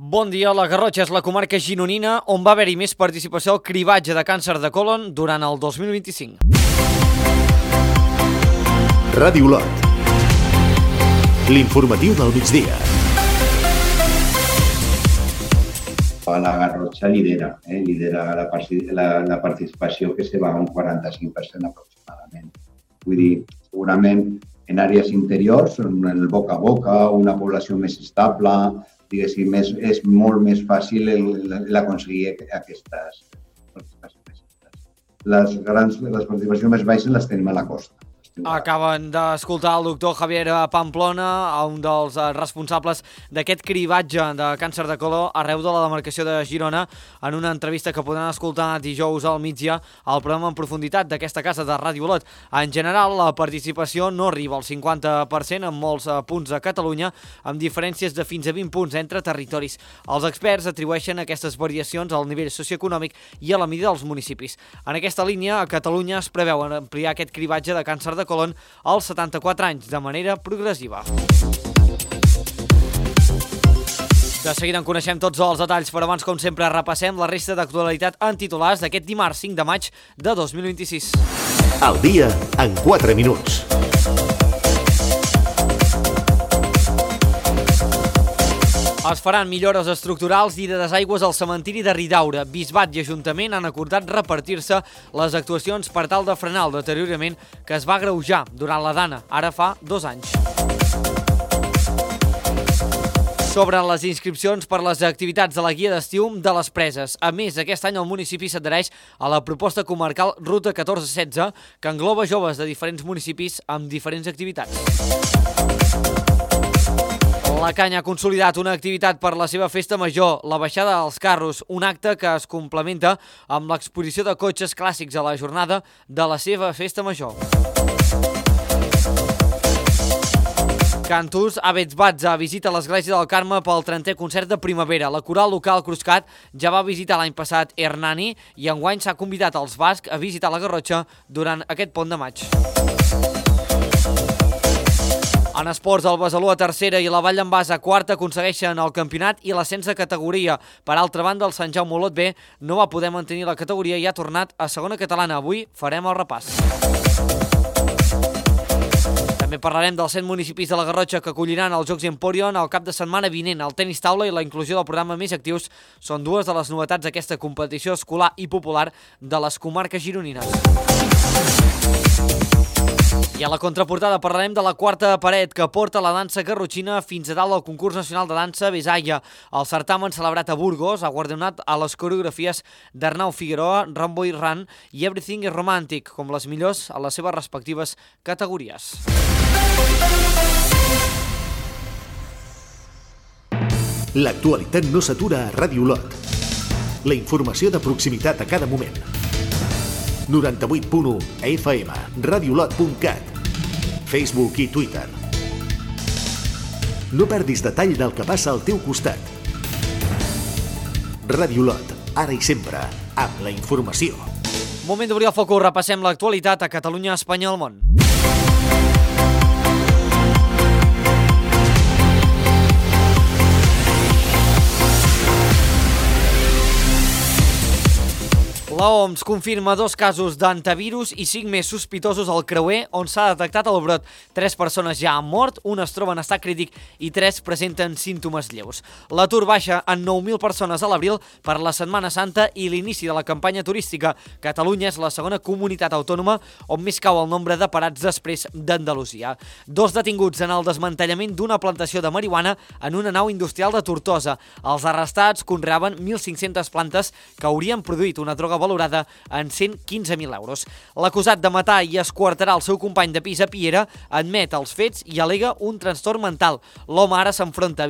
Bon dia, la Garrotxa és la comarca gironina on va haver-hi més participació al cribatge de càncer de còlon durant el 2025. Ràdio Lot. L'informatiu del migdia. La Garrotxa lidera la participació, que se va a un 45% aproximadament. Vull dir, segurament en àrees interiors, en el boca a boca, una població més estable, diguéssim, és molt més fàcil l'aconseguir aquestes participacions. Les participacions més baixes les tenim a la costa. Acaben d'escoltar el doctor Javier Pamplona, un dels responsables d'aquest cribatge de càncer de còlon arreu de la demarcació de Girona, en una entrevista que podran escoltar dijous al migdia al programa en profunditat d'aquesta casa de Ràdio Lot. En general, la participació no arriba al 50% en molts punts de Catalunya, amb diferències de fins a 20 punts entre territoris. Els experts atribueixen aquestes variacions al nivell socioeconòmic i a la mida dels municipis. En aquesta línia, a Catalunya es preveu ampliar aquest cribatge de càncer de còlon als 74 anys, de manera progressiva. De seguida en coneixem tots els detalls, però abans, com sempre, repassem la resta d'actualitat en titulars d'aquest dimarts 5 de maig de 2026. El dia en 4 minuts. Es faran millores estructurals i de desaigües al cementiri de Ridaura. Bisbat i Ajuntament han acordat repartir-se les actuacions per tal de frenar el deteriorament que es va agreujar durant la dana, ara fa 2 anys. S'obren les inscripcions per les activitats de la guia d'estiu de les Preses. A més, aquest any el municipi s'adhereix a la proposta comarcal Ruta 1416, que engloba joves de diferents municipis amb diferents activitats. La Canya ha consolidat una activitat per la seva festa major, la baixada dels carros, un acte que es complementa amb l'exposició de cotxes clàssics a la jornada de la seva festa major. Cantus Abetsbatza visita l'església del Carme pel 30è concert de primavera. La coral local Cruscat ja va visitar l'any passat Hernani i enguany s'ha convidat als bascs a visitar la Garrotxa durant aquest pont de maig. En esports, el Besalú a tercera i la Vall d'en Bas a quarta aconsegueixen el campionat i l'ascens de categoria. Per altra banda, el Sant Jaume Olot B no va poder mantenir la categoria i ha tornat a segona catalana. Avui farem el repàs. També parlarem dels 100 municipis de la Garrotxa que acolliran els Jocs Emporion el cap de setmana vinent. El tenis taula i la inclusió del programa Més Actius són dues de les novetats d'aquesta competició escolar i popular de les comarques gironines. I a la contraportada parlarem de la quarta paret que porta la dansa garrotxina fins a dalt del concurs nacional de dansa Besaya. El certamen celebrat a Burgos ha guardonat a les coreografies d'Arnau Figueroa, Rambo i Ran i Everything is Romantic, com les millors a les seves respectives categories. L'actualitat no s'atura a Ràdio Lot. La informació de proximitat a cada moment. 98.1 FM, radiolot.cat, Facebook i Twitter. No perdis detall del que passa al teu costat. Ràdio Lot, ara i sempre, amb la informació. Moment d'obrir el focus, repassem l'actualitat a Catalunya, Espanya i el món. L'OMS confirma 2 casos d'antivirus i 5 més sospitosos al creuer on s'ha detectat el brot. 3 persones ja han mort, una es troba en estat crític i 3 presenten símptomes lleus. L'atur baixa en 9.000 persones a l'abril per la Setmana Santa i l'inici de la campanya turística. Catalunya és la segona comunitat autònoma on més cau el nombre de parats després d'Andalusia. 2 detinguts en el desmantellament d'una plantació de marihuana en una nau industrial de Tortosa. Els arrestats conreaven 1.500 plantes que haurien produït una droga valorada en 115.000 euros. L'acusat de matar i esquarterar el seu company de pis a Piera admet els fets i al·lega un trastorn mental. L'home ara s'enfronta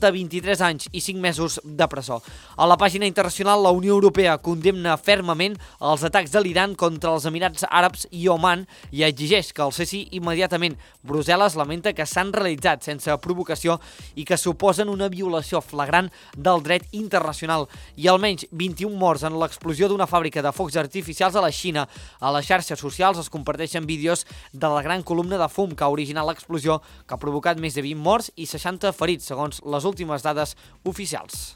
a 23 anys i 5 mesos de presó. A la pàgina internacional, la Unió Europea condemna fermament els atacs de l'Iran contra els Emirats Àrabs i Oman i exigeix que el cessi immediatament. Brussel·les lamenta que s'han realitzat sense provocació i que suposen una violació flagrant del dret internacional. I almenys 21 morts en l'explosió d'una fàbrica de focs artificials a la Xina. A les xarxes socials es comparteixen vídeos de la gran columna de fum que ha originat l'explosió, que ha provocat més de 20 morts i 60 ferits ferits, segons les últimes dades oficials.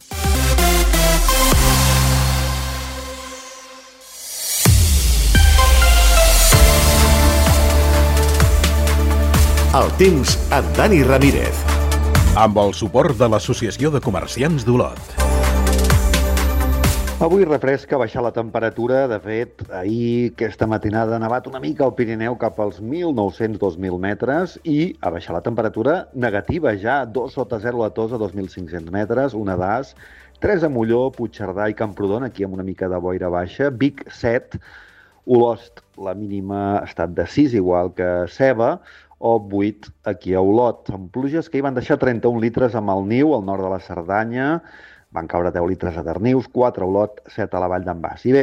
El temps amb Dani Ramírez. Amb el suport de l'Associació de Comerciants d'Olot. Avui refresca, baixar la temperatura. De fet, ahir aquesta matinada ha nevat una mica al Pirineu cap als 1.900-2.000 metres i a baixar la temperatura negativa ja, 2 sota 0 a Tossa, 2.500 metres, una d'As, 3 a Molló, Puigcerdà i Camprodon, aquí amb una mica de boira baixa, Vic 7, Olost, la mínima ha estat de 6, igual que Ceba, o 8 aquí a Olot, amb pluges que hi van deixar 31 litres a Malniu, al nord de la Cerdanya, van caure 10 litres a Darnius, 4 a Olot, 7 a la Vall d'en Bas. I bé,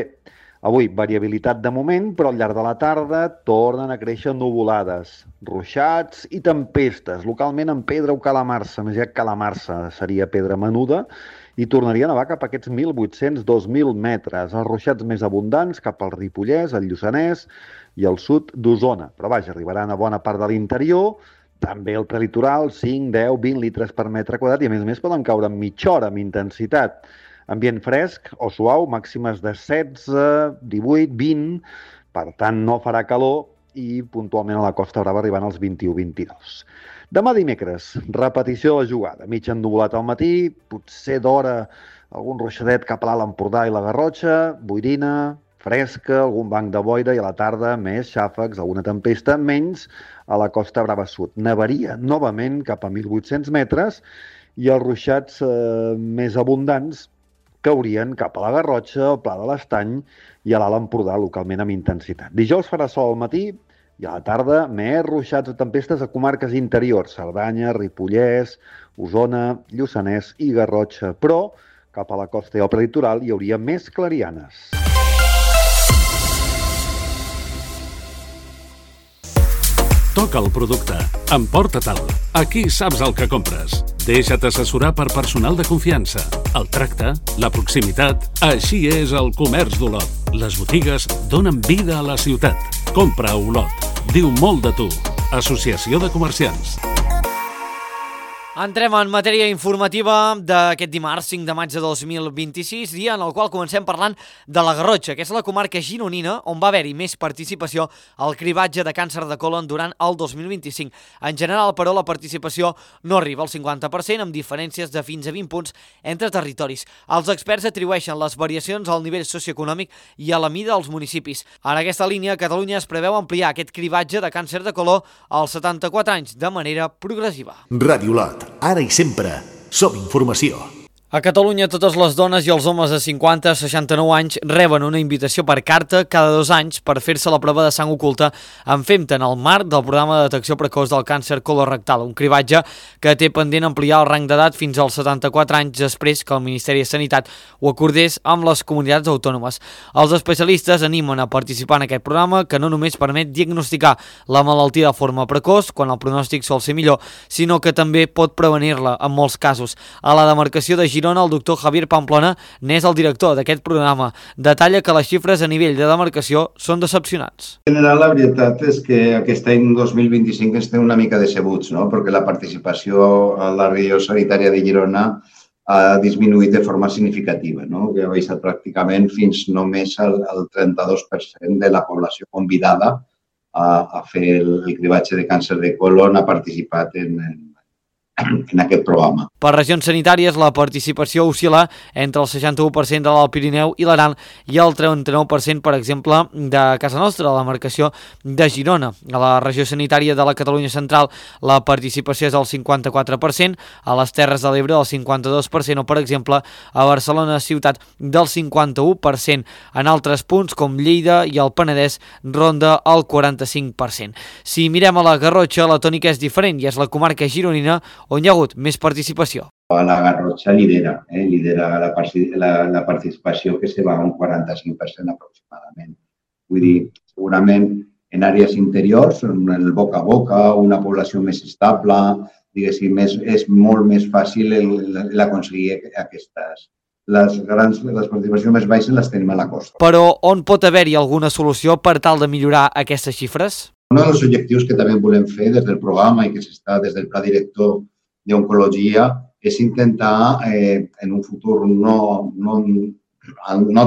avui variabilitat de moment, però al llarg de la tarda tornen a créixer nuvolades, ruixats i tempestes, localment en pedra o calamarsa, més ja calamarsa seria pedra menuda, i tornaria a nevar cap a aquests 1.800-2.000 metres, els ruixats més abundants cap al Ripollès, el Lluçanès i al sud d'Osona. Però vaja, arribaran a bona part de l'interior, també el prelitoral, 5, 10, 20 litres per metre quadrat i a més poden caure en mitja hora amb intensitat. Ambient fresc o suau, màximes de 16, 18, 20, per tant no farà calor i puntualment a la Costa Brava arribant als 21-22. Demà dimecres, repetició de la jugada. Mig ennuvolat al matí, potser d'hora algun ruixadet cap a l'Alt Empordà i la Garrotxa, boirina, fresca, algun banc de boira i a la tarda més xàfecs, alguna tempesta, menys a la Costa Brava Sud. Nevaria novament cap a 1.800 metres i els ruixats més abundants caurien cap a la Garrotxa, al Pla de l'Estany i a l'Alt Empordà, localment amb intensitat. Dijous farà sol al matí i a la tarda més ruixats o tempestes a comarques interiors, Cerdanya, Ripollès, Osona, Lluçanès i Garrotxa. Però cap a la costa i al prelitoral hi hauria més clarianes. Toca el producte. Emporta-te'l. Aquí saps el que compres. Deixa't assessorar per personal de confiança. El tracte, la proximitat... Així és el comerç d'Olot. Les botigues donen vida a la ciutat. Compra a Olot. Diu molt de tu. Associació de Comerciants. Entrem en matèria informativa d'aquest dimarts 5 de maig de 2026, dia en el qual comencem parlant de la Garrotxa, que és la comarca gironina on va haver-hi més participació al cribatge de càncer de colon durant el 2025. En general, però, la participació no arriba al 50%, amb diferències de fins a 20 punts entre territoris. Els experts atribueixen les variacions al nivell socioeconòmic i a la mida dels municipis. En aquesta línia, Catalunya es preveu ampliar aquest cribatge de càncer de colon als 74 anys de manera progressiva. Ràdio Olot. Ara i sempre, som informació. A Catalunya, totes les dones i els homes de 50 a 69 anys reben una invitació per carta cada 2 anys per fer-se la prova de sang oculta en FEMTA en el marc del programa de detecció precoç del càncer colorectal, un cribatge que té pendent ampliar el rang d'edat fins als 74 anys després que el Ministeri de Sanitat ho acordés amb les comunitats autònomes. Els especialistes animen a participar en aquest programa que no només permet diagnosticar la malaltia de forma precoç, quan el pronòstic sol ser millor, sinó que també pot prevenir-la en molts casos. A la demarcació de Girona, el doctor Javier Pamplona n'és el director d'aquest programa. Detalla que les xifres a nivell de demarcació són decepcionants. En general, la veritat és que aquest any 2025 estem una mica decebuts, no? Perquè la participació a la regió sanitària de Girona ha disminuït de forma significativa, no? Que ha baixat pràcticament fins només al 32% de la població convidada a fer el cribatge de càncer de colon, ha participat en aquest programa. Per regions sanitàries, la participació oscil·la entre el 61% de l'Alt Pirineu i l'Aran i el 39%, per exemple, de casa nostra, la demarcació de Girona. A la regió sanitària de la Catalunya Central, la participació és del 54%, a les Terres de l'Ebre del 52% o, per exemple, a Barcelona ciutat del 51%. En altres punts, com Lleida i el Penedès, ronda el 45%. Si mirem a la Garrotxa, la tònica és diferent i és la comarca gironina on hi ha hagut més participació. La Garrotxa lidera la participació, que se va a un 45% aproximadament. Vull dir, segurament en àrees interiors, en el boca a boca, una població més estable, diguéssim, és molt més fàcil l'aconseguir aquestes. Les participacions més baixes les tenim a la costa. Però on pot haver-hi alguna solució per tal de millorar aquestes xifres? Un dels objectius que també volem fer des del programa i que s'està des del pla director d'oncologia és intentar en un futur no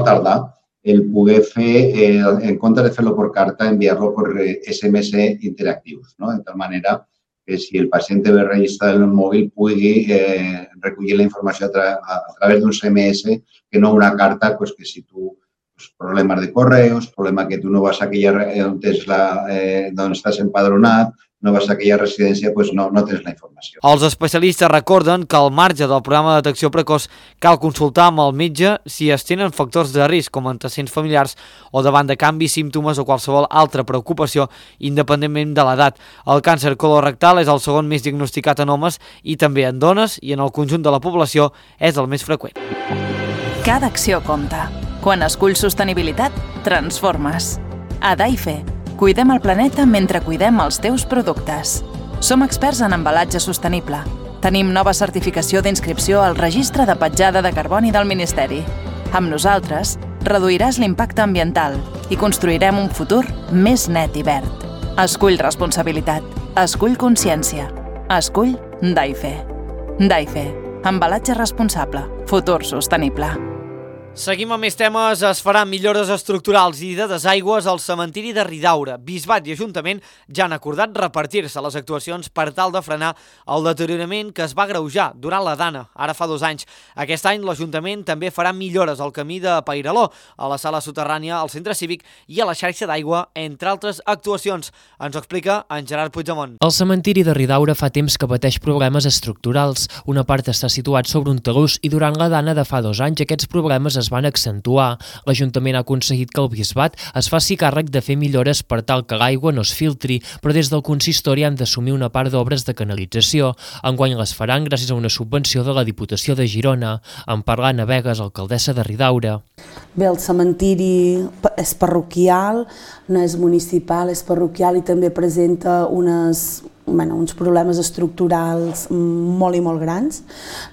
tardar el poder fer, en comptes de fer-lo per carta, enviar-lo per SMS interactius, no? De tal manera que si el pacient ve registrat en el mòbil pugui recollir la informació a través d'un SMS que no una carta, pues, que si tu problemes de correus, problema que tu no vas a aquella on estàs empadronat, no vas a aquella residència, doncs no tens la informació. Els especialistes recorden que al marge del programa de detecció precoç cal consultar amb el metge si es tenen factors de risc com antecedents familiars o davant de canvis, símptomes o qualsevol altra preocupació independentment de l'edat. El càncer colorectal és el segon més diagnosticat en homes i també en dones i en el conjunt de la població és el més freqüent. Cada acció compta. Quan esculls sostenibilitat, transformes. A Daife, cuidem el planeta mentre cuidem els teus productes. Som experts en embalatge sostenible. Tenim nova certificació d'inscripció al Registre de Petjada de Carboni del Ministeri. Amb nosaltres, reduiràs l'impacte ambiental i construirem un futur més net i verd. Escull responsabilitat. Escull consciència. Escull Daife. Daife. Embalatge responsable. Futur sostenible. Seguim amb més temes. Es faran millores estructurals i de desaigües al cementiri de Ridaura. Bisbat i Ajuntament ja han acordat repartir-se les actuacions per tal de frenar el deteriorament que es va agreujar durant la Dana, ara fa 2 anys. Aquest any l'Ajuntament també farà millores al camí de Pairaló, a la sala soterrània, al centre cívic i a la xarxa d'aigua, entre altres actuacions. Ens ho explica en Gerard Puigdemont. El cementiri de Ridaura fa temps que pateix problemes estructurals. Una part està situat sobre un talús i durant la Dana de fa 2 anys aquests problemes es van accentuar. L'Ajuntament ha aconseguit que el Bisbat es faci càrrec de fer millores per tal que l'aigua no es filtri, però des del consistori han d'assumir una part d'obres de canalització. Enguany les faran gràcies a una subvenció de la Diputació de Girona. En parla Ana Vegas, alcaldessa de Ridaura. Bé, el cementiri és parroquial, no és municipal, és parroquial i també presenta uns problemes estructurals molt i molt grans.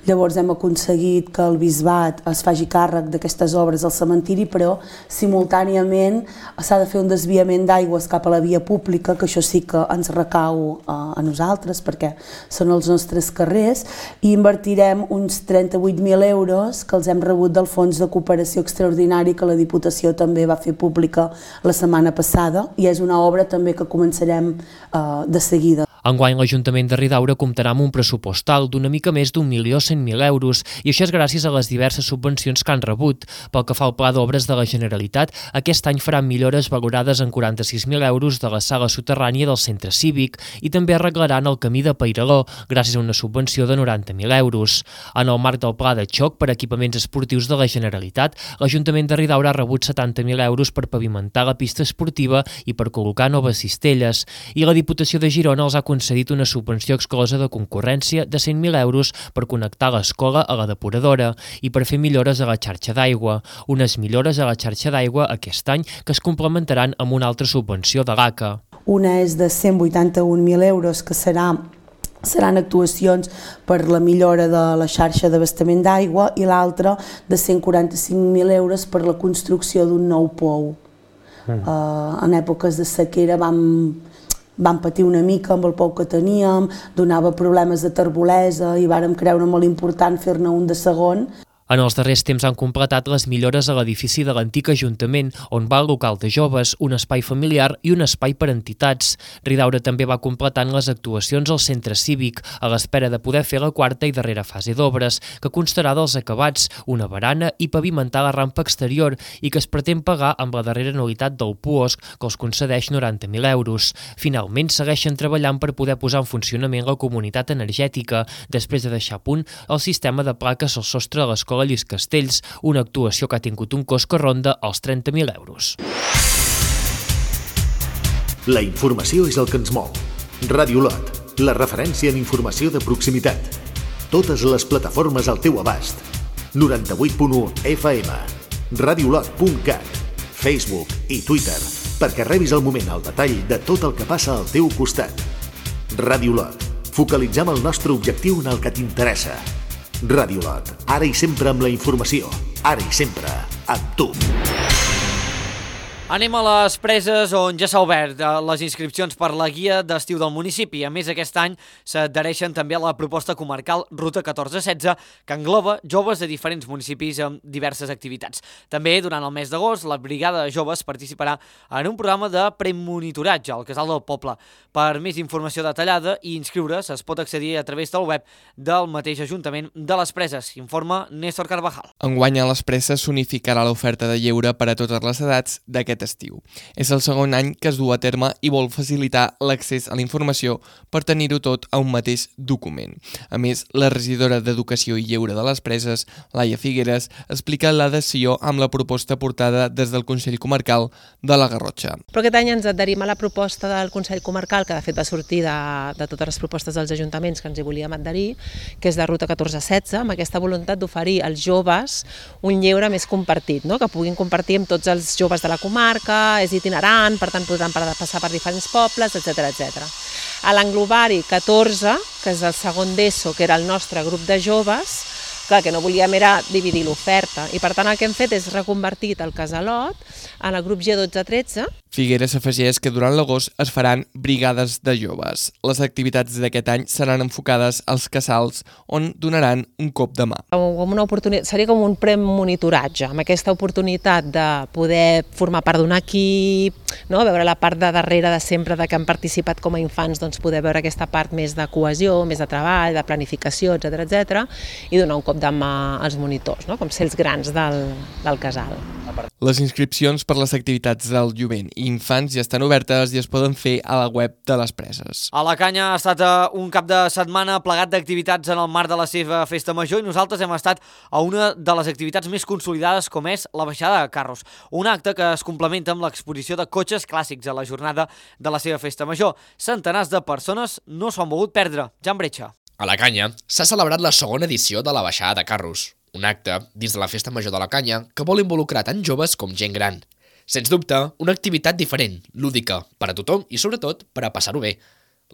Llavors hem aconseguit que el Bisbat es faci càrrec d'aquestes obres al cementiri, però simultàniament s'ha de fer un desviament d'aigües cap a la via pública, que això sí que ens recau a nosaltres, perquè són els nostres carrers, i invertirem uns 38.000 euros que els hem rebut del Fons de Cooperació Extraordinari que la Diputació també va fer pública la setmana passada, i és una obra també que començarem de seguida. Enguany l'Ajuntament de Ridaura comptarà amb un pressupost alt d'una mica més d'1.100.000 euros i això és gràcies a les diverses subvencions que han rebut. Pel que fa al Pla d'Obres de la Generalitat, aquest any faran millores valorades en 46.000 euros de la sala soterrània del centre cívic i també arreglaran el camí de Pairaló gràcies a una subvenció de 90.000 euros. En el marc del Pla de xoc per equipaments esportius de la Generalitat, l'Ajuntament de Ridaura ha rebut 70.000 euros per pavimentar la pista esportiva i per col·locar noves cistelles i la Diputació de Girona els ha concedit una subvenció exclosa de concurrència de 100.000 euros per connectar l'escola a la depuradora i per fer millores a la xarxa d'aigua. Unes millores a la xarxa d'aigua aquest any que es complementaran amb una altra subvenció de l'ACA. Una és de 181.000 euros que seran actuacions per la millora de la xarxa d'abastament d'aigua i l'altra de 145.000 euros per la construcció d'un nou pou. En èpoques de sequera vam patir una mica amb el pou que teníem, donava problemes de terbolesa i vàrem creure molt important fer-ne un de segon. En els darrers temps han completat les millores a l'edifici de l'antic Ajuntament, on va el local de joves, un espai familiar i un espai per entitats. Ridaura també va completant les actuacions al centre cívic, a l'espera de poder fer la quarta i darrera fase d'obres, que constarà dels acabats, una barana i pavimentar la rampa exterior i que es pretén pagar amb la darrera anualitat del PUOSC, que els concedeix 90.000 euros. Finalment, segueixen treballant per poder posar en funcionament la comunitat energètica, després de deixar a punt el sistema de plaques al sostre de l'escola Lluís Castells, una actuació que ha tingut un cost que ronda els 30.000 euros. La informació és el que ens mou. Ràdio Lot, la referència en informació de proximitat. Totes les plataformes al teu abast. 98.1 FM, radiolot.cat, Facebook i Twitter, perquè rebis al moment el detall de tot el que passa al teu costat. Ràdio Lot, focalitzem el nostre objectiu en el que t'interessa. Ràdio Lot, ara i sempre amb la informació, ara i sempre amb tu. Anem a les Preses, on ja s'ha obert les inscripcions per la guia d'estiu del municipi. A més, aquest any s'adhereixen també a la proposta comarcal Ruta 1416, que engloba joves de diferents municipis amb diverses activitats. També, durant el mes d'agost, la Brigada de Joves participarà en un programa de premonitoratge al Casal del Poble. Per més informació detallada i inscriure's es pot accedir a través del web del mateix Ajuntament de les Preses, informa Néstor Carvajal. Enguany a les Preses s'unificarà l'oferta de lleure per a totes les edats d'aquest estiu. És el segon any que es du a terme i vol facilitar l'accés a la informació per tenir-ho tot a un mateix document. A més, la regidora d'Educació i Lleure de les Preses, Laia Figueres, explica l'adhesió amb la proposta portada des del Consell Comarcal de la Garrotxa. Però aquest any ens adherim a la proposta del Consell Comarcal, que de fet va sortir de totes les propostes dels ajuntaments que ens hi volíem adherir, que és de Ruta 1416, amb aquesta voluntat d'oferir als joves un lleure més compartit, no? Que puguin compartir amb tots els joves de la comarca, és itinerant, per tant podran passar per diferents pobles, etc. A l'englobari 14, que és el segon d'ESO, que era el nostre grup de joves, clar, que no volíem era dividir l'oferta, i per tant el que hem fet és reconvertir el Casalot en el grup G12-13. Figueres afegeix que durant l'agost es faran brigades de joves. Les activitats d'aquest any seran enfocades als casals, on donaran un cop de mà. Seria com un premonitoratge, amb aquesta oportunitat de poder formar part d'un equip, no? Veure la part de darrere de sempre de que han participat com a infants, doncs poder veure aquesta part més de cohesió, més de treball, de planificació, etc. I donar un cop de mà als monitors, no? Com ser els grans del casal. Les inscripcions per les activitats del jovent i infants ja estan obertes i es poden fer a la web de les Preses. A la Canya ha estat un cap de setmana plegat d'activitats en el marc de la seva festa major i nosaltres hem estat a una de les activitats més consolidades, com és la baixada de carros. Un acte que es complementa amb l'exposició de cotxes clàssics a la jornada de la seva festa major. Centenars de persones no s'ho han volgut perdre. Jan Bretxa. A la Canya s'ha celebrat la segona edició de la baixada de carros. Un acte dins de la Festa Major de la Canya que vol involucrar tant joves com gent gran. Sens dubte, una activitat diferent, lúdica, per a tothom i sobretot per a passar-ho bé.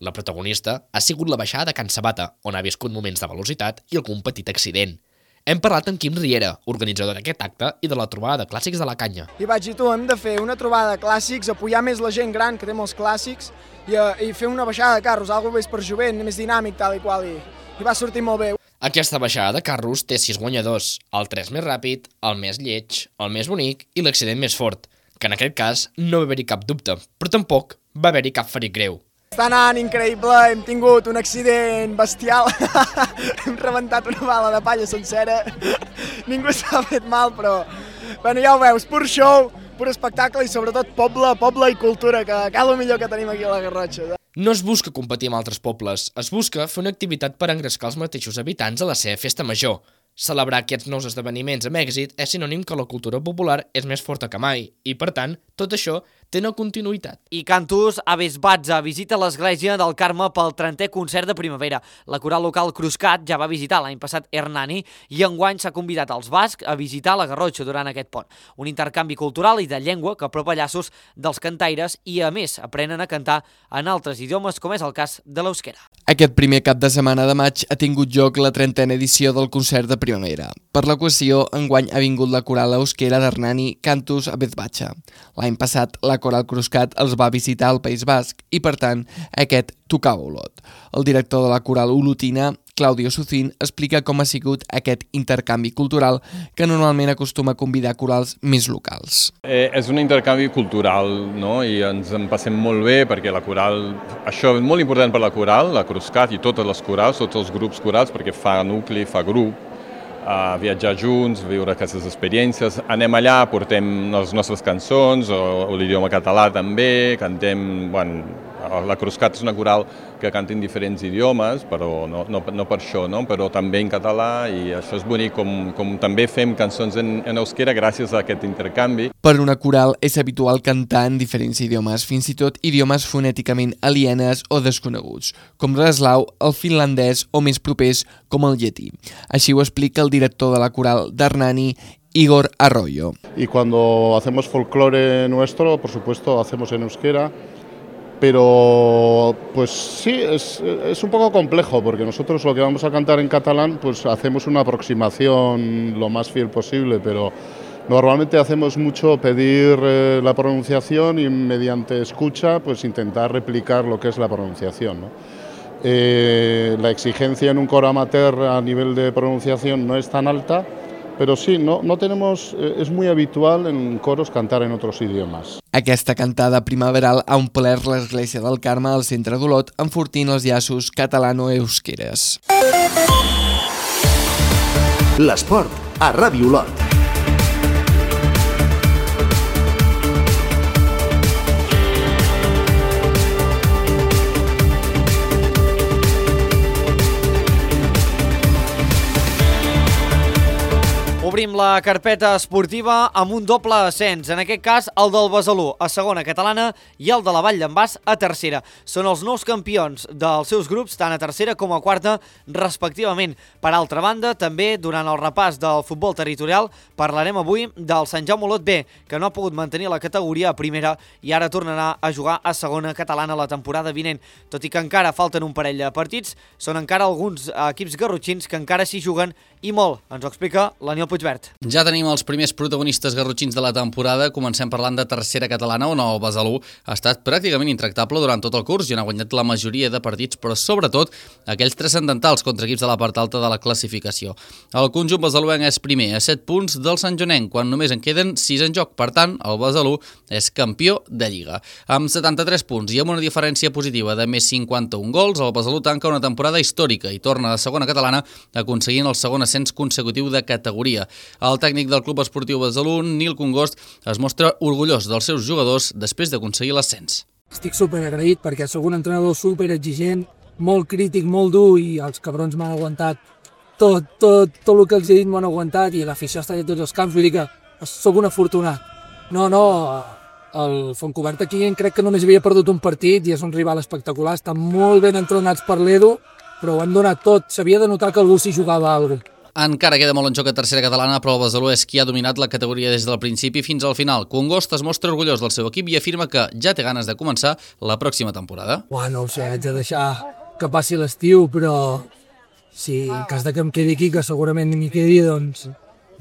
La protagonista ha sigut la baixada de Can Sabata, on ha viscut moments de velocitat i algun petit accident. Hem parlat amb Quim Riera, organitzador d'aquest acte i de la trobada de clàssics de la Canya. I vaig dir, hem de fer una trobada de clàssics, apoyar més la gent gran que té molts clàssics i fer una baixada de carros, alguna més per jovent, més dinàmic, tal i qual, i va sortir molt bé. Aquesta baixada de carros té 6 guanyadors, el 3 més ràpid, el més lleig, el més bonic i l'accident més fort, que en aquest cas no va haver-hi cap dubte, però tampoc va haver-hi cap ferit greu. Està anant increïble, hem tingut un accident bestial, hem rebentat una bala de palla sencera, ningú s'ha fet mal, però bueno, ja ho veus, pur show, pur espectacle i sobretot poble i cultura, que és el millor que tenim aquí a la Garrotxa. No es busca competir amb altres pobles, es busca fer una activitat per engrescar els mateixos habitants a la seva festa major. Celebrar aquests nous esdeveniments amb èxit és sinònim que la cultura popular és més forta que mai i, per tant, tot això té una continuïtat. I Cantus Aves Batza visita l'església del Carme pel 30è concert de primavera. La coral local Cruscat ja va visitar l'any passat Hernani i enguany s'ha convidat als bascs a visitar la Garrotxa durant aquest pont. Un intercanvi cultural i de llengua que apropa llaços dels cantaires i, a més, aprenen a cantar en altres idiomes, com és el cas de l'euskera. Aquest primer cap de setmana de maig ha tingut lloc la 30a edició del concert de primavera. Per l'equació, enguany ha vingut la coral euskera d'Hernani Cantus Aves Batza. L'any passat, la coral Cruscat els va visitar al País Basc i, per tant, aquest tocava Olot. El director de la coral olotina, Claudio Sucín, explica com ha sigut aquest intercanvi cultural que normalment acostuma a convidar corals més locals. És un intercanvi cultural, no? I ens en passem molt bé perquè la coral, això és molt important per la coral, la Cruscat i totes les corals, tots els grups corals, perquè fa nucli, fa grup, viatjar junts, viure aquestes experiències. Anem allà, portem les nostres cançons, o l'idioma català també, cantem, la Cruscat és una coral que canta en diferents idiomes, però no per això, no? Però també en català, i això és bonic, com també fem cançons en euskera gràcies a aquest intercanvi. Per una coral és habitual cantar en diferents idiomes, fins i tot idiomes fonèticament alienes o desconeguts, com l'eslau, el finlandès o més propers com el llatí. Així ho explica el director de la coral d'Hernani, Igor Arroyo. Y cuando hacemos folclore nuestro, por supuesto, hacemos en euskera, pero pues sí, es un poco complejo, porque nosotros lo que vamos a cantar en catalán, pues hacemos una aproximación lo más fiel posible, pero Normalmente hacemos mucho pedir la pronunciación y mediante escucha pues intentar replicar lo que es la pronunciación, ¿no? La exigencia en un coro amateur a nivel de pronunciación no es tan alta, pero sí, no tenemos, es muy habitual en coros cantar en otros idiomas. Aquesta cantada primaveral ha omplert l'església del Carme al centre d'Olot, enfortint els llaços catalano-eusqueres. L'esport a Ràdio Olot. Obrim la carpeta esportiva amb un doble ascens, en aquest cas el del Besalú a segona catalana i el de la Vall d'en Bas a tercera. Són els nous campions dels seus grups, tant a tercera com a quarta, respectivament. Per altra banda, també durant el repàs del futbol territorial parlarem avui del Sant Jaume Olot B, que no ha pogut mantenir la categoria a primera i ara tornarà a jugar a segona catalana la temporada vinent. Tot i que encara falten un parell de partits, són encara alguns equips garrotxins que encara s'hi juguen i molt. Ens ho explica l'Aniel Puigvert. Ja tenim els primers protagonistes garrotxins de la temporada. Comencem parlant de tercera catalana, on el Besalú ha estat pràcticament intractable durant tot el curs i on ha guanyat la majoria de partits, però sobretot aquells transcendentals contra equips de la part alta de la classificació. El conjunt besaluenc és primer a 7 punts del Sant Jonenc, quan només en queden 6 en joc. Per tant, el Besalú és campió de Lliga. Amb 73 punts i amb una diferència positiva de més 51 gols, el Besalú tanca una temporada històrica i torna a segona catalana aconseguint el segon ascens consecutiu de categoria. El tècnic del Club Esportiu Besalú, Nil Congost, es mostra orgullós dels seus jugadors després d'aconseguir l'ascens. Estic superagraït perquè sóc un entrenador superexigent, molt crític, molt dur, i els cabrons m'han aguantat tot el que els he dit, m'han aguantat, i l'afició està a tots els camps. Vull dir que sóc un afortunat. El Fontcobert aquí crec que només havia perdut un partit i és un rival espectacular, estan molt ben entrenats per l'Edu, però ho han donat tot, s'havia de notar que algú s'hi jugava alguna cosa. Encara queda molt en joc a tercera catalana, però el Besalú és qui ha dominat la categoria des del principi fins al final. Congost es mostra orgullós del seu equip i afirma que ja té ganes de començar la pròxima temporada. No ho sé, haig de deixar que passi l'estiu, però si en cas que em quedi aquí, que segurament m'hi quedi, doncs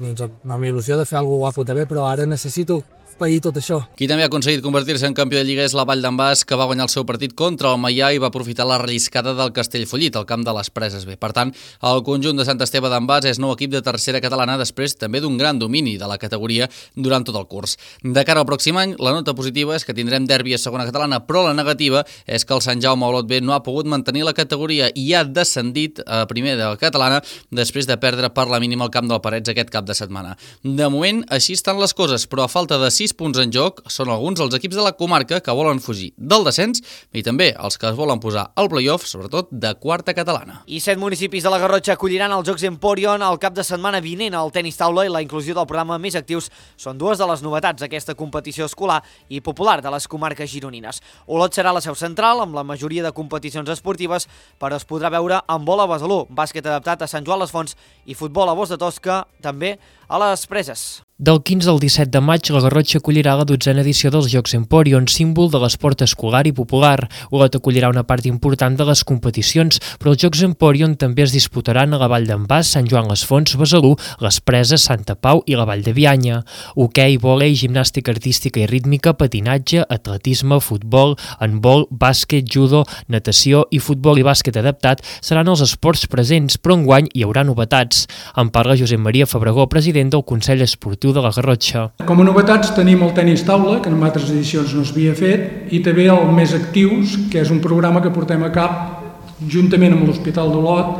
amb il·lusió de fer alguna cosa guapo també, però ara necessito pair tot això. Qui també ha aconseguit convertir-se en campió de Lliga és la Vall d'en Bas, que va guanyar el seu partit contra el Maià i va aprofitar la relliscada del Castellfollit, al camp de les Preses B. Per tant, el conjunt de Sant Esteve d'en Bas és nou equip de tercera catalana després també d'un gran domini de la categoria durant tot el curs. De cara al pròxim any, la nota positiva és que tindrem derbi a segona catalana, però la negativa és que el Sant Jaume Olot B no ha pogut mantenir la categoria i ha descendit a primera catalana després de perdre per la mínima al camp del Parets aquest cap de setmana. De moment, així estan les coses, però a falta de 6 punts en joc són alguns dels equips de la comarca que volen fugir del descens i també els que es volen posar al play-off, sobretot de quarta catalana. I 7 municipis de la Garrotxa acolliran els Jocs Emporion el cap de setmana vinent. El tenis taula i la inclusió del programa Més Actius són dues de les novetats d'aquesta competició escolar i popular de les comarques gironines. Olot serà la seu central amb la majoria de competicions esportives, però es podrà veure handbol a Besalú, bàsquet adaptat a Sant Joan les Fonts i futbol a Bos de Tosca, també a les Preses. Del 15 al 17 de maig, la Garrotxa acollirà la 12a edició dels Jocs Emporion, símbol de l'esport escolar i popular. Olot acollirà una part important de les competicions, però els Jocs Emporion també es disputaran a la Vall d'en Bas, Sant Joan les Fonts, Besalú, les Preses, Santa Pau i la Vall de Bianya. Hoquei, vòlei, gimnàstica artística i rítmica, patinatge, atletisme, futbol, handbol, bàsquet, judo, natació i futbol i bàsquet adaptat seran els esports presents, però enguany hi haurà novetats. En parla Josep Maria Fabregó, president del Consell Esportiu de la Garrotxa. Com a novetats tenim el tenis taula, que en altres edicions no s'havia fet, i també el Més Actius, que és un programa que portem a cap juntament amb l'Hospital d'Olot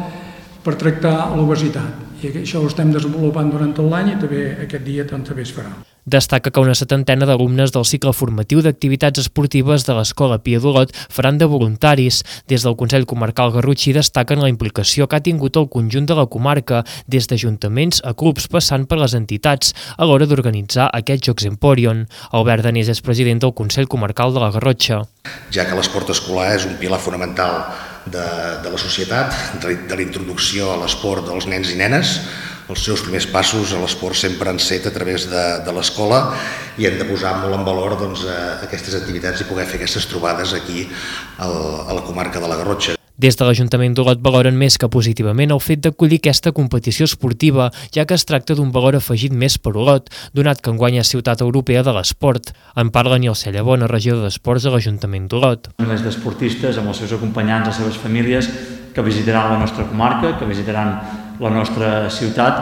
per tractar l'obesitat. I això ho estem desenvolupant durant tot l'any i també aquest dia també es farà. Destaca que una 70ena d'alumnes del cicle formatiu d'activitats esportives de l'Escola Pia d'Olot faran de voluntaris. Des del Consell Comarcal Garrotxí destaquen la implicació que ha tingut el conjunt de la comarca, des d'ajuntaments a clubs passant per les entitats, a l'hora d'organitzar aquests Jocs Emporion. Albert Danés és president del Consell Comarcal de la Garrotxa. Ja que l'esport escolar és un pilar fonamental de la societat, de la introducció a l'esport dels nens i nenes, els seus primers passos a l'esport sempre han set a través de l'escola i hem de posar molt en valor aquestes activitats i poder fer aquestes trobades aquí a la comarca de la Garrotxa. Des de l'Ajuntament d'Olot valoren més que positivament el fet d'acollir aquesta competició esportiva, ja que es tracta d'un valor afegit més per Olot, donat que enguany és Ciutat Europea de l'Esport. En parla Nilce Llavona, regidor d'Esports a l'Ajuntament d'Olot. Milers d'esportistes amb els seus acompanyants, les seves famílies, que visitaran la nostra comarca, que visitaran la nostra ciutat,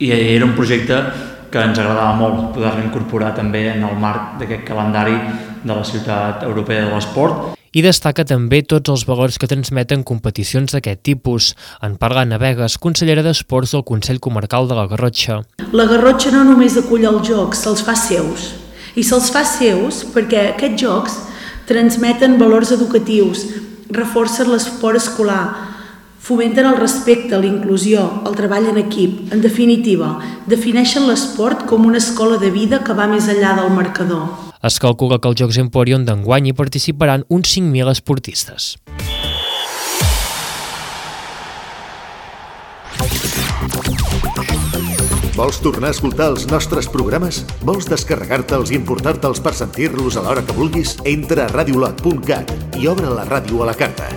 i era un projecte que ens agradava molt poder-lo incorporar també en el marc d'aquest calendari de la Ciutat Europea de l'Esport. I destaca també tots els valors que transmeten competicions d'aquest tipus. En parla Anna Vegas, consellera d'Esports del Consell Comarcal de la Garrotxa. La Garrotxa no només acull els jocs, se'ls fa seus. I se'ls fa seus perquè aquests jocs transmeten valors educatius, reforcen l'esport escolar, fomenten el respecte, la inclusió, el treball en equip. En definitiva, defineixen l'esport com una escola de vida que va més enllà del marcador. Es calcula que als Jocs Emporion d'enguany hi participaran uns 5.000 esportistes. Vols tornar a escoltar els nostres programes? Vols descarregar-te'ls i importar-te'ls per sentir-los a l'hora que vulguis? Entra a radiolot.cat i obre la ràdio a la carta.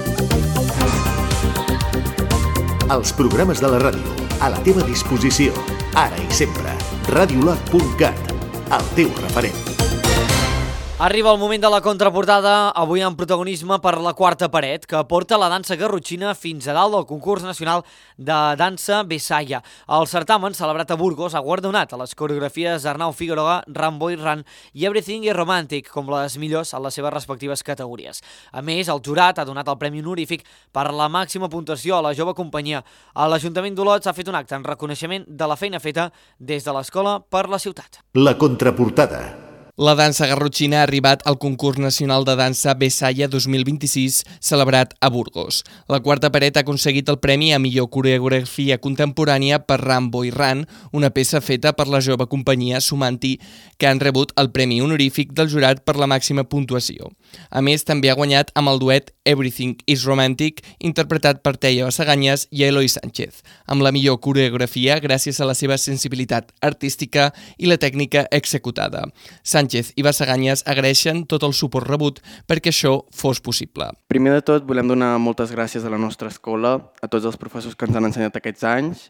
Els programes de la ràdio, a la teva disposició, ara i sempre. radiolot.cat, el teu referent. Arriba el moment de la contraportada, avui amb protagonisme per la quarta paret, que porta la dansa garrotxina fins a dalt del concurs nacional de dansa Besaya. El certamen, celebrat a Burgos, ha guardonat a les coreografies Arnau Figueroa, Ramboy Run i Everything is Romantic com les millors en les seves respectives categories. A més, el jurat ha donat el premi honorífic per la màxima puntuació a la jove companyia. A l'Ajuntament d'Olot s'ha fet un acte en reconeixement de la feina feta des de l'escola per la ciutat. La contraportada. La dansa garrotxina ha arribat al concurs nacional de dansa Besaya 2026, celebrat a Burgos. La quarta paret ha aconseguit el premi a millor coreografia contemporània per Ramboy Run, una peça feta per la jove companyia Sumanti, que han rebut el premi honorífic del jurat per la màxima puntuació. A més, també ha guanyat amb el duet Everything is Romantic, interpretat per Teia Basaganyes i Eloi Sánchez, amb la millor coreografia gràcies a la seva sensibilitat artística i la tècnica executada. Sánchez i Basaganyes agraeixen tot el suport rebut perquè això fos possible. Primer de tot, volem donar moltes gràcies a la nostra escola, a tots els professors que ens han ensenyat aquests anys.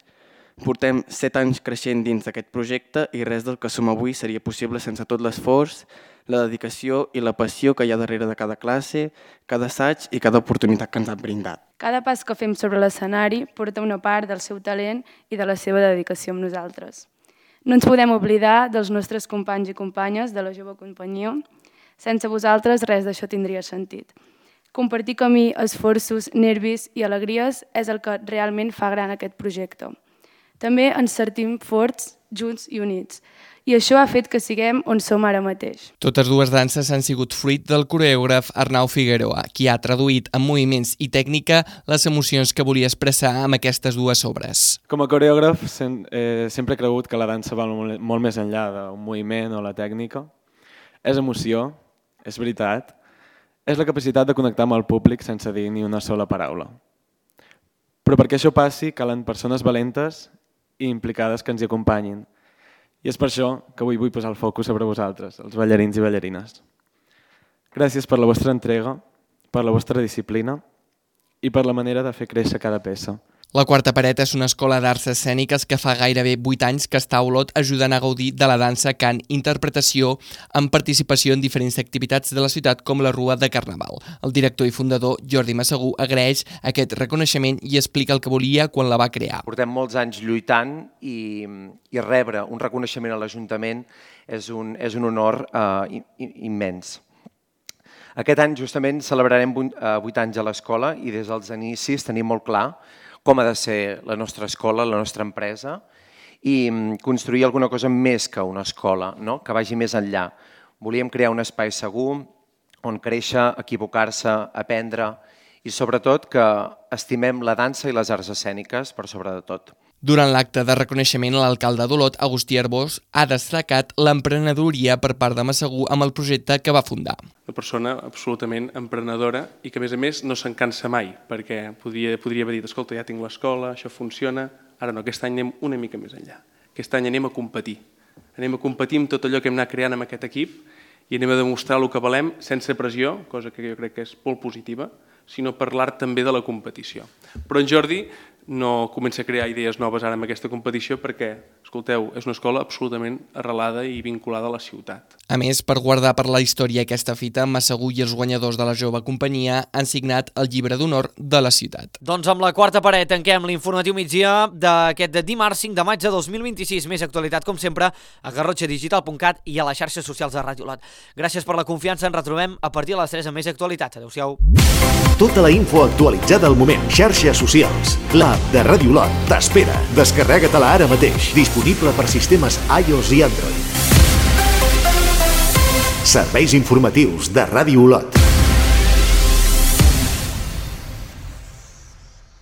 Portem 7 anys creixent dins d'aquest projecte i res del que som avui seria possible sense tot l'esforç, la dedicació i la passió que hi ha darrere de cada classe, cada assaig i cada oportunitat que ens han brindat. Cada pas que fem sobre l'escenari porta una part del seu talent i de la seva dedicació amb nosaltres. No ens podem oblidar dels nostres companys i companyes de la jove companyia. Sense vosaltres res d'això tindria sentit. Compartir camí, esforços, nervis i alegries és el que realment fa gran aquest projecte. També ens sentim forts, junts i units. I això ha fet que siguem on som ara mateix. Totes dues danses han sigut fruit del coreògraf Arnau Figueroa, qui ha traduït en moviments i tècnica les emocions que volia expressar amb aquestes dues obres. Com a coreògraf sempre he cregut que la dansa va molt més enllà d'un moviment o la tècnica. És emoció, és veritat, és la capacitat de connectar amb el públic sense dir ni una sola paraula. Però perquè això passi calen persones valentes i implicades que ens hi acompanyin. I és per això que avui vull posar el focus sobre vosaltres, els ballarins i ballarines. Gràcies per la vostra entrega, per la vostra disciplina i per la manera de fer créixer cada peça. La quarta paret és una escola d'arts escèniques que fa gairebé 8 anys que està a Olot ajudant a gaudir de la dansa, cant, interpretació, amb participació en diferents activitats de la ciutat com la Rua de Carnaval. El director i fundador Jordi Massagú agraeix aquest reconeixement i explica el que volia quan la va crear. Portem molts anys lluitant i rebre un reconeixement a l'Ajuntament és un honor immens. Aquest any justament celebrarem 8 anys a l'escola i des dels inicis tenim molt clar com ha de ser la nostra escola, la nostra empresa, i construir alguna cosa més que una escola, que vagi més enllà. Volíem crear un espai segur on créixer, equivocar-se, aprendre i sobretot que estimem la dansa i les arts escèniques per sobre de tot. Durant l'acte de reconeixement, l'alcalde d'Olot, Agustí Arbós, ha destacat l'emprenedoria per part de Massagú amb el projecte que va fundar. Una persona absolutament emprenedora i que, a més no se'n cansa mai, perquè podria haver dit, escolta, ja tinc l'escola, això funciona, ara no, aquest any anem una mica més enllà. Aquest any anem a competir. Anem a competir amb tot allò que hem anat creant amb aquest equip i anem a demostrar el que valem sense pressió, cosa que jo crec que és molt positiva, sinó parlar també de la competició. Però en Jordi no comença a crear idees noves ara amb aquesta competició perquè, escolteu, és una escola absolutament arrelada i vinculada a la ciutat. A més, per guardar per la història aquesta fita, Massagull i els guanyadors de la jove companyia han signat el llibre d'honor de la ciutat. Doncs amb la quarta paret tanquem l'informatiu migdia d'aquest dimarts 5 de maig de 2026. Més actualitat, com sempre, a garrotxadigital.cat i a les xarxes socials de Ràdio Lot. Gràcies per la confiança, ens retrobem a partir de les 3 amb més actualitat. Adéu-siau. Tota la info actualitzada al moment. Xarxes socials. L'app de Ràdio Lot t'espera. Descarrega-te-la ara mateix. Disponible per sistemes iOS i Android. Serveis informatius de Ràdio Lot.